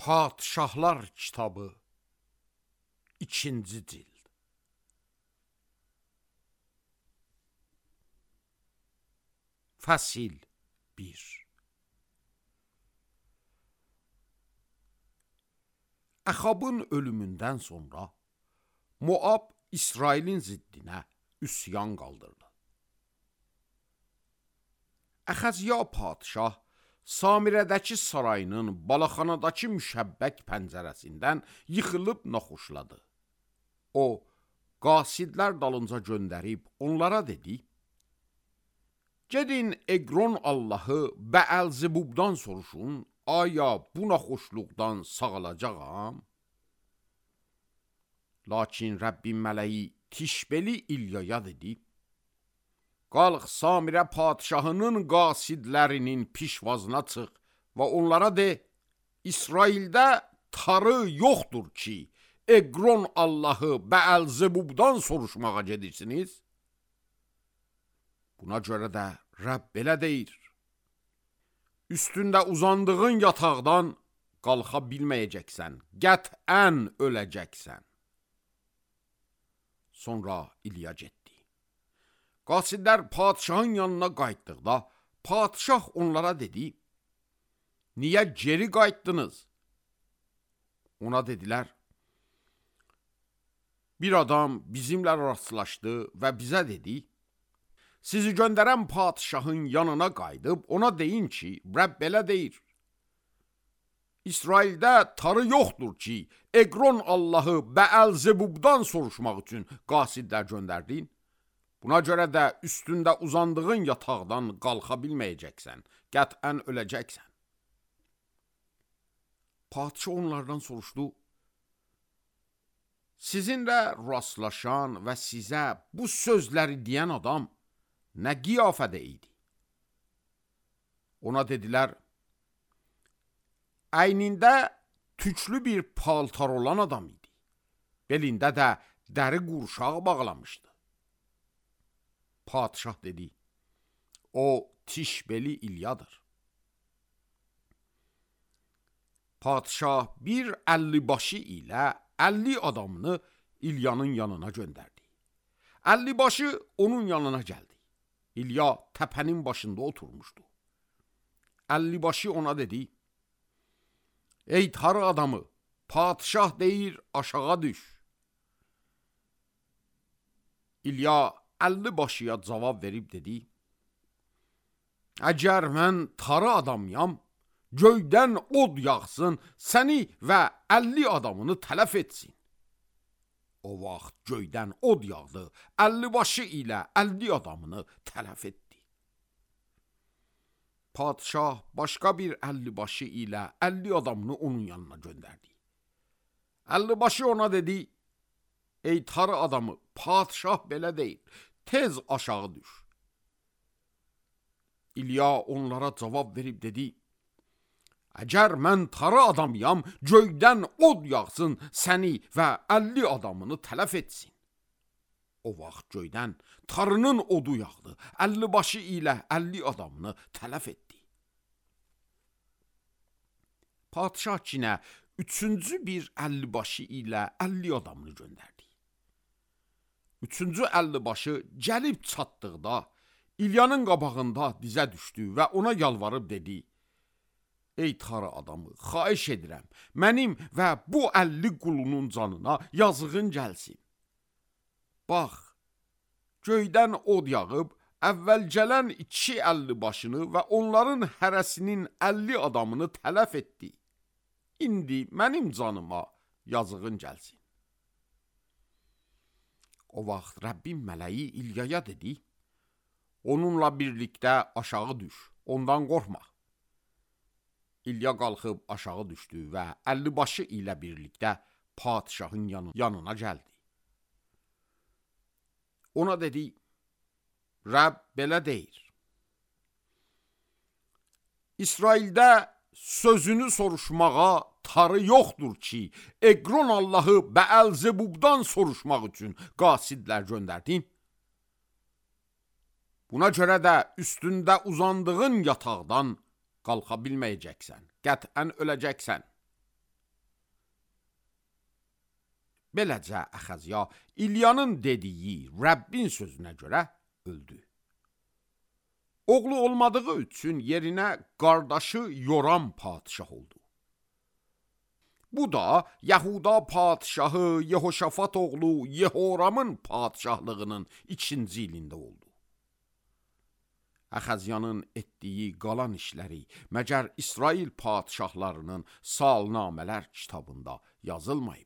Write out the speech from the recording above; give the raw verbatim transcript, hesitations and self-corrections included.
Padişahlar kitabı ikinci cild. Fəsil bir. Əxabın ölümündən sonra Moab İsrailin ziddinə üsyan qaldırdı. Əxəziya padişah Samirədəki sarayının balaxanadakı müşəbbək pəncərəsindən yıxılıb naxoşladı. O, qasidlər dalınca göndərib onlara dedi: "Gedin Eqron Allahı Bəəlzebubdan soruşun, aya bu naxoşluqdan sağalacağam?" Lakin Rəbbin mələyi Tişbeli İlyaya dedi: "Qalx Samirə padişahının qasidlərinin pişvazına çıx və onlara de, İsraildə tarı yoxdur ki, Eqron Allahı Bəəlzebubdan soruşmağa gedirsiniz. Buna görə də Rəbb belə deyir: üstündə uzandığın yataqdan qalxa bilməyəcəksən, qətən öləcəksən." Sonra İlya getdi. Qasidlər padişahın yanına qayıtdıqda, padişah onlara dedi: "Niyə geri qayıtdınız?" Ona dedilər: "Bir adam bizimlə rastlaşdı və bizə dedi: sizi göndərən padişahın yanına qayıdıb ona deyin ki, Rəbb belə deyir: İsraildə tarı yoxdur ki, Eqron Allahı Bəəlzebubdan soruşmaq üçün qasidlər göndərdin. Buna görə də üstündə uzandığın yataqdan qalxa bilməyəcəksən, qətən öləcəksən." Padişah onlardan soruşdu: "Sizinlə rastlaşan və sizə bu sözləri deyən adam nə qiyafədə idi?" Ona dedilər: "Əynində tüklü bir paltar olan adam idi. Belində də dəri qurşaq bağlamışdı." Padişah dedi: "O Tişbeli İlyadır." Padişah bir əllibaşı ilə əlli adamını İlyanın yanına göndərdi. Əllibaşı onun yanına gəldi. İlya təpənin başında oturmuşdu. Əllibaşı ona dedi: "Ey tarı adamı, padişah deyir, aşağı düş." İlya əllibaşıya cavab verib dedi: "Əgər mən tarı adamyam, göydən od yağsın, səni və əlli adamını tələf etsin." O vaxt göydən od yağdı, əllibaşı ilə əlli adamını tələf etdi. Padişah başqa bir əllibaşı ilə əlli adamını onun yanına göndərdi. Əllibaşı ona dedi: "Ey tarı adamı, padişah belə deyil, tez aşağı düş." İlya onlara cavab verib dedi: "Əgər mən tarı adamyam, göydən od yağsın, səni və əlli adamını tələf etsin." O vaxt göydən tarının odu yağdı, əllibaşı ilə əlli adamını tələf etdi. Padişah kinə üçüncü bir əllibaşı ilə əlli adamını göndərdi. Üçüncü əllibaşı gəlib çatdıqda, İlyanın qabağında dizə düşdü və ona yalvarıb dedi: "Ey tarı adamı, xahiş edirəm, mənim və bu əlli qulunun canına yazığın gəlsin. Bax, göydən od yağıb, əvvəl gələn iki əlli başını və onların hərəsinin əlli adamını tələf etdi. İndi mənim canıma yazığın gəlsin." O vaxt Rəbbin mələyi İlyaya dedi: "Onunla birlikdə aşağı düş, ondan qorxma." İlya qalxıb aşağı düşdü və əllibaşı ilə birlikdə padişahın yanına gəldi. Ona dedi: "Rəbb belə deyir: İsraildə sözünü soruşmağa tarı yoxdur ki, Eqron Allahı Bəəlzebubdan soruşmaq üçün qasidlər göndərdin. Buna görə də üstündə uzandığın yataqdan qalxa bilməyəcəksən, qətən öləcəksən." Beləcə Əxəzya İlyanın dediyi Rəbbin sözünə görə öldü. Oğlu olmadığı üçün yerinə qardaşı Yoram padişah oldu. Bu da Yahuda padişahı Yehoşafat oğlu Yehoramın padişahlığının ikinci ilində oldu. Əxəzyanın etdiyi qalan işləri məgər İsrail padişahlarının salnamələr kitabında yazılmayıb.